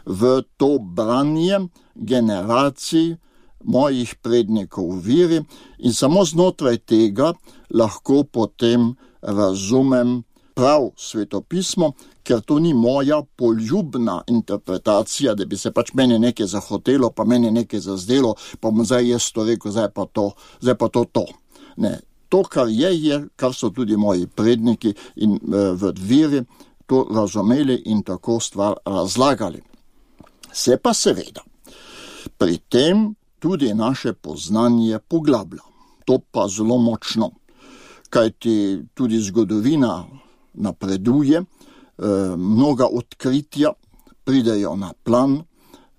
v to branje generacij mojih prednikov v veri in samo znotraj tega lahko potem razumem prav svetopismo, ker to ni moja poljubna interpretacija, da bi se pač meni nekaj zahotelo, pa meni nekaj zazdelo, pa bom zdaj jaz to rekel, zdaj pa to. Ne, to, kar je, kar so tudi moji predniki in v veri to razumeli in tako stvar razlagali. Se pa seveda, pri tem tudi naše poznanje poglablja. To pa zelo močno, kajti tudi zgodovina napreduje, mnoga odkritja pridejo na plan,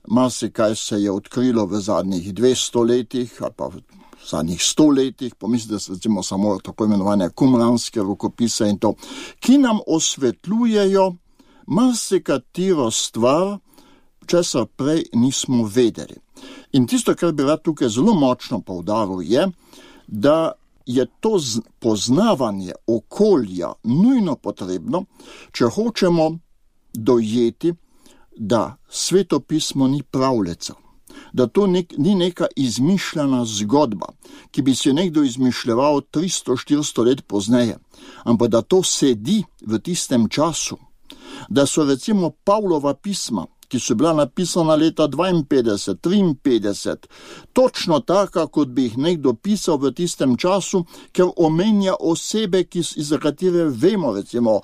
marsikaj se je odkrilo v zadnjih 200 letih, ali pa zadnjih 100 letih, pomislite se recimo samo tako imenovane kumranske rokopise in to, ki nam osvetljujejo marsikatero stvar, česar prej nismo vedeli. In tisto, kar bi rad tukaj zelo močno poudaril, je, da je to poznavanje okolja nujno potrebno, če hočemo dojeti, da svetopismo ni pravljica, da to ni neka izmišljena zgodba, ki bi si nekdo izmišljeval 300-400 let pozneje, ampak da to sedi v tistem času, da so recimo Pavlova pisma, ki so bila napisana leta 52, 53, točno taka, kot bi jih nekdo pisal v tistem času, ker omenja osebe, za katere vemo, recimo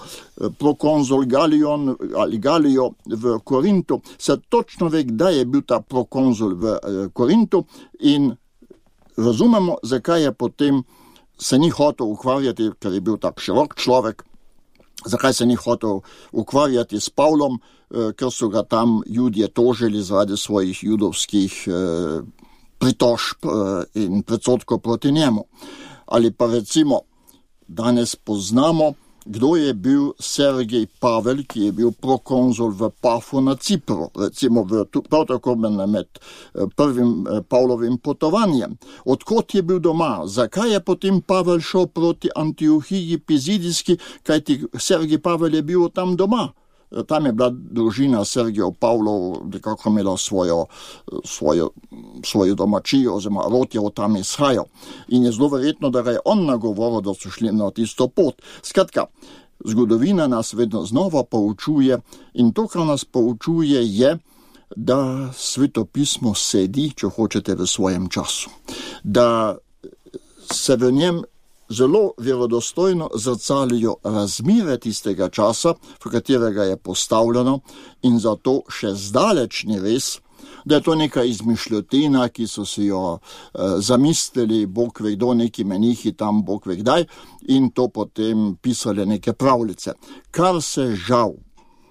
prokonzul Galion ali Galijo v Korintu, se točno ve, kdaj je bil ta prokonzul v Korintu in razumemo, zakaj je potem se ni hotel ukvarjati, ker je bil tak širok človek, zakaj se ni hotel ukvarjati s Pavlom, ker so ga tam Judje tožili zaradi svojih judovskih pritožb in predsodkov proti njemu. Ali pa recimo, danes poznamo, kdo je bil Sergej Pavel, ki je bil prokonzul v Pafu na Cipru, recimo prav tako med prvim Pavlovim potovanjem. Odkot je bil doma? Zakaj je potem Pavel šel proti Antiohiji Pizidijski, kajti Sergej Pavel je bil tam doma? Tam je bila družina Sergejev Pavlov, nekako imela svojo domačijo, oziroma rod je od tam izhajal. In je zelo verjetno, da ga je on nagovoril, da so šli na tisto pot. Skratka, zgodovina nas vedno znova poučuje in to, kar nas poučuje, je, da svetopismo sedi, če hočete, v svojem času. Da se v njem zelo verodostojno zrcalijo razmere tistega časa, v katerega je postavljeno, in zato še zdaleč ni res, da je to neka izmišljotina, ki so si jo zamislili, Bog ve kdo, neki menihi tam, Bog ve kdaj, in to potem pisali neke pravljice. Kar se žal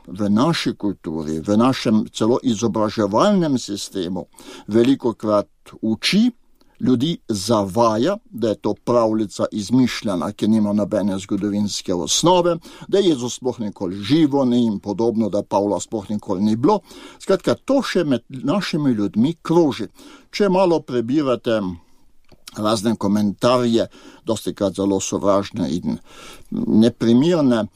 v naši kulturi, v našem celo izobraževalnem sistemu velikokrat uči, ljudi zavaja, da je to pravljica izmišljena, ki nima nobene zgodovinske osnove, da Jezus sploh nikoli živo ni in podobno, da Pavla sploh nikoli ni bilo. Skratka, to še med našimi ljudmi kroži. Če malo prebirate razne komentarje, dostikrat zelo sovražne in neprimirne,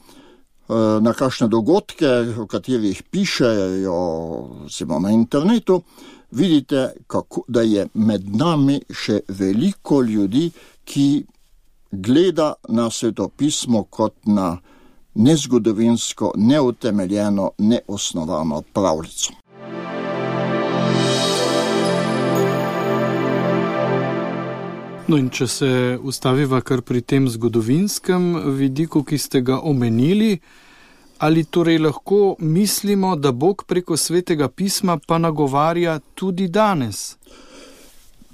na kakšne dogodke, o katerih pišejo na internetu, vidite, da je med nami še veliko ljudi, ki gleda na svetopismo kot na nezgodovinsko, neutemeljeno, neosnovano pravljico. No in če se ustaviva kar pri tem zgodovinskem vidiku, ki ste ga omenili, ali torej lahko mislimo, da Bog preko svetega pisma pa nagovarja tudi danes?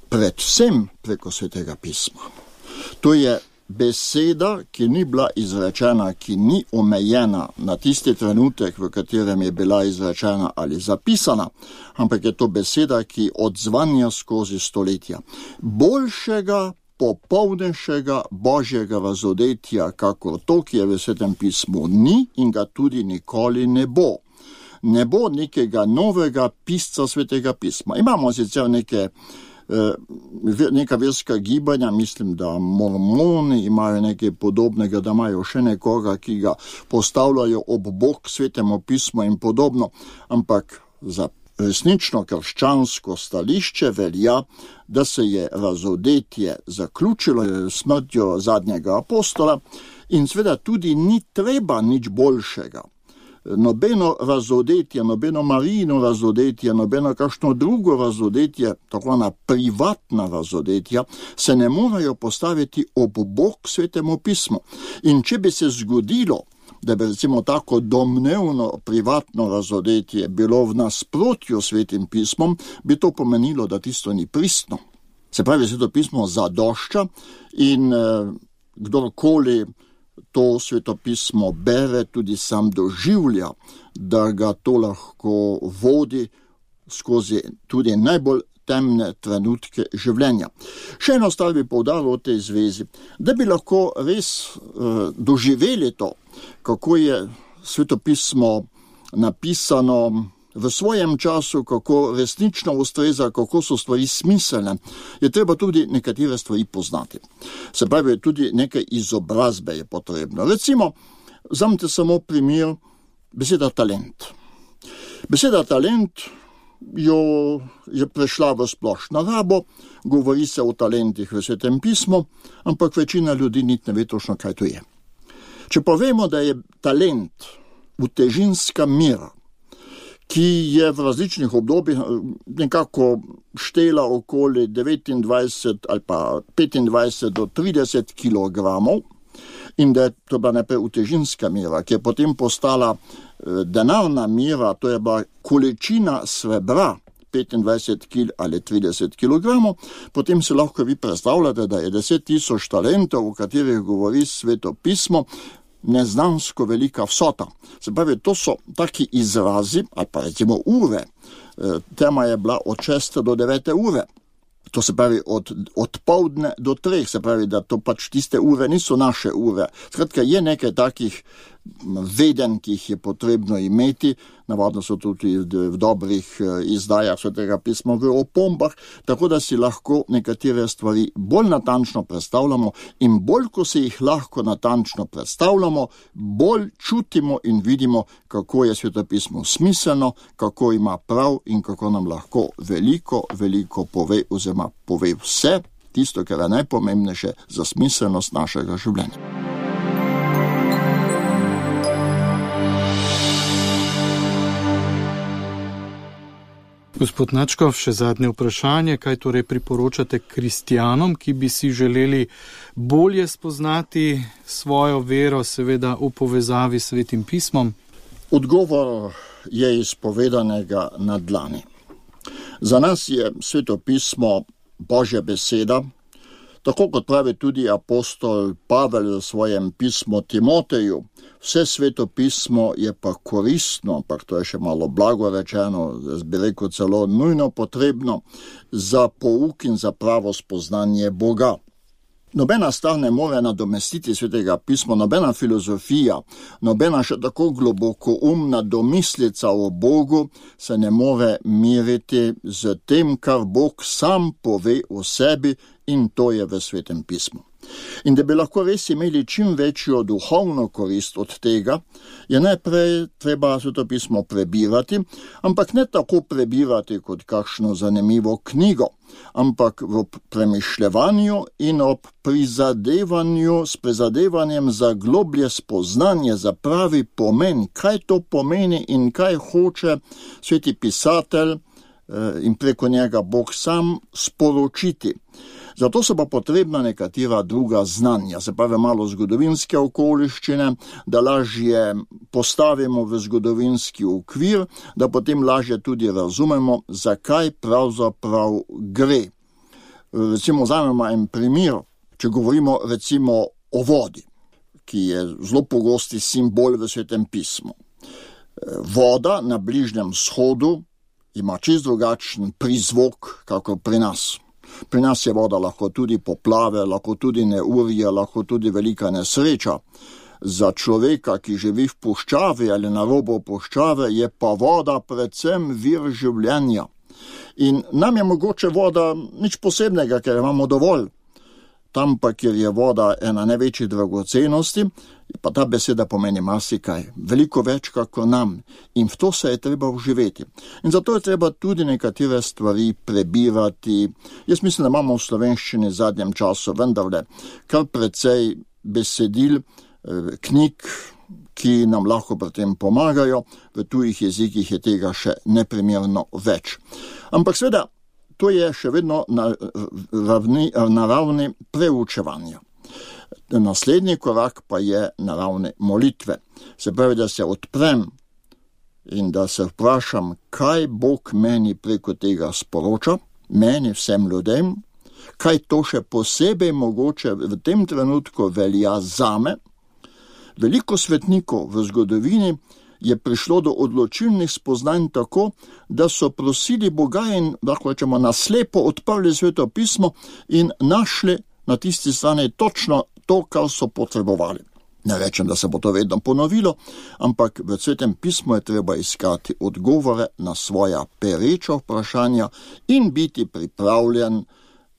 Predvsem preko svetega pisma. To je beseda, ki ni bila izrečena, ki ni omejena na tisti trenutek, v katerem je bila izrečena ali zapisana, ampak je to beseda, ki odzvanja skozi stoletja. Boljšega, popolnejšega božjega razodetja, kakor to, ki je v svetem pismu, ni in ga tudi nikoli ne bo. Ne bo nekega novega pisca svetega pisma. Imamo sicer neka verska gibanja, mislim, da mormoni imajo nekaj podobnega, da imajo še nekoga, ki ga postavljajo ob bok svetemu pismu in podobno, ampak za resnično krščansko stališče velja, da se je razodetje zaključilo smrtjo zadnjega apostola in seveda tudi ni treba nič boljšega. Nobeno razodetje, nobeno Marijino razodetje, nobeno kakšno drugo razodetje, tako na privatna razodetja, se ne morajo postaviti ob bok svetemu pismu. In če bi se zgodilo, da bi recimo tako domnevno privatno razodetje bilo v nasprotju s svetim pismom, bi to pomenilo, da tisto ni pristno. Se pravi, sveto pismo zadošča in kdorkoli to svetopismo bere, tudi sam doživlja, da ga to lahko vodi skozi tudi najbolj temne trenutke življenja. Še eno stvar bi poudaril v tej zvezi, da bi lahko res doživeli to, kako je svetopismo napisano v svojem času, kako resnično ustreza, kako so stvari smiselne, je treba tudi nekatere stvari poznati. Se pravi, tudi nekaj izobrazbe je potrebno. Recimo, vzamite samo primer beseda talent. Beseda talent jo je prešla v splošno rabo, govori se o talentih v Svetem pismu, ampak večina ljudi niti ne ve točno, kaj to je. Če povemo, da je talent utežinska mera, ki je v različnih obdobjih nekako štela okoli 29 ali pa 25 do 30 kilogramov, in da je to bila najprej utežinska mera, ki je potem postala denarna mera, to je bila količina srebra, 25 kg ali 30 kilogramov, potem se lahko vi predstavljate, da je 10.000 talentov, o katerih govori Sveto pismo, neznansko velika vsota. Se pravi, to so taki izrazi, ali pa recimo ure. Tema je bila od 6 do 9 ure. To se pravi od poldne do 3, se pravi, da to pač tiste ure niso naše ure. Skratka, je nekaj takih veden, ki jih je potrebno imeti, navadno so tudi v dobrih izdajah Svetega pisma v opombah, tako da si lahko nekatere stvari bolj natančno predstavljamo in bolj, ko se jih lahko natančno predstavljamo, bolj čutimo in vidimo, kako je Sveto pismo smiselno, kako ima prav in kako nam lahko veliko pove oziroma pove vse tisto, kar je najpomembnejše za smiselnost našega življenja. Gospod Načkov, še zadnje vprašanje, kaj torej priporočate kristjanom, ki bi si želeli bolje spoznati svojo vero, seveda v povezavi s Svetim pismom? Odgovor je izpovedanega na dlani. Za nas je Sveto pismo Božja beseda, tako kot pravi tudi apostol Pavel v svojem pismu Timoteju. Vse Sveto pismo je pa koristno, ampak to je še malo blago rečeno, jaz bi rekel celo nujno potrebno za pouk in za pravo spoznanje Boga. Nobena stvar ne more nadomestiti Svetega pisma, nobena filozofija, nobena še tako globoko umna domislica o Bogu se ne more miriti z tem, kar Bog sam pove o sebi, in to je v Svetem pismu. In da bi lahko res imeli čim večjo duhovno korist od tega, je najprej treba Sveto pismo prebirati, ampak ne tako prebirati kot kakšno zanimivo knjigo, ampak v premišljevanju in ob prizadevanju s prizadevanjem za globlje spoznanje, za pravi pomen, kaj to pomeni in kaj hoče sveti pisatelj in preko njega Bog sam sporočiti. Zato so pa potrebna nekatera druga znanja, se pravi malo zgodovinske okoliščine, da lažje postavimo v zgodovinski okvir, da potem lažje tudi razumemo, zakaj pravzaprav gre. Recimo, vzamemo en primer, če govorimo recimo o vodi, ki je zelo pogosti simbol v Svetem pismu. Voda na Bližnjem vzhodu ima čisto drugačen prizvok, kako pri nas. Pri nas je voda lahko tudi poplave, lahko tudi neurje, lahko tudi velika nesreča. Za človeka, ki živi v puščavi ali na robu puščave, je pa voda predvsem vir življenja. In nam je mogoče voda nič posebnega, ker imamo dovolj. Tam pa, kjer je voda ena največjih dragocenosti, pa ta beseda pomeni marsikaj, veliko več kako nam, in v to se je treba vživeti. In zato je treba tudi nekatere stvari prebirati. Jaz mislim, da imamo v slovenščini v zadnjem času vendarle kar precej besedil, knjig, ki nam lahko pri tem pomagajo, v tujih jezikih je tega še neprimerno več. Ampak seveda, to je še vedno na ravni preučevanja. Naslednji korak pa je na ravni molitve. Se pravi, da se odprem in da se vprašam, kaj Bog meni preko tega sporoča, meni vsem ljudem, kaj to še posebej mogoče v tem trenutku velja zame. Veliko svetnikov v zgodovini je prišlo do odločilnih spoznanj tako, da so prosili Boga in, lahko rečemo, naslepo odprli Sveto pismo in našli na tisti strani točno to, kar so potrebovali. Ne rečem, da se bo to vedno ponovilo, ampak v Svetem pismu je treba iskati odgovore na svoja pereča vprašanja in biti pripravljen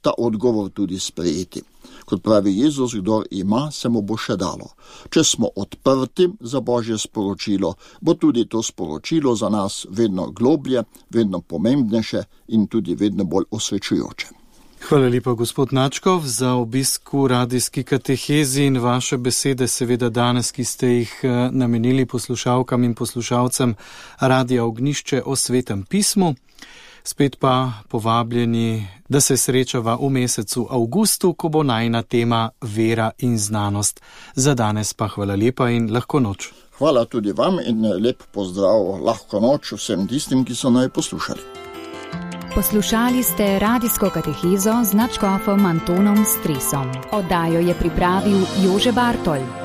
ta odgovor tudi sprejeti. Kot pravi Jezus, kdor ima, se mu bo še dalo. Če smo odprti za Božje sporočilo, bo tudi to sporočilo za nas vedno globlje, vedno pomembnejše in tudi vedno bolj osvečujoče. Hvala lepa, gospod Načkov, za obisk v radijski katehezi in vaše besede, seveda danes, ki ste jih namenili poslušalkam in poslušalcem Radia Ognjišče o Svetem pismu. Spet pa povabljeni, da se srečava v mesecu avgustu, ko bo najina tema vera in znanost. Za danes pa hvala lepa in lahko noč. Hvala tudi vam in lep pozdrav, lahko noč vsem tistim, ki so naj poslušali. Poslušali ste radijsko katehezo z nadškofom Antonom Stresom. Oddajo je pripravil Jože Bartol.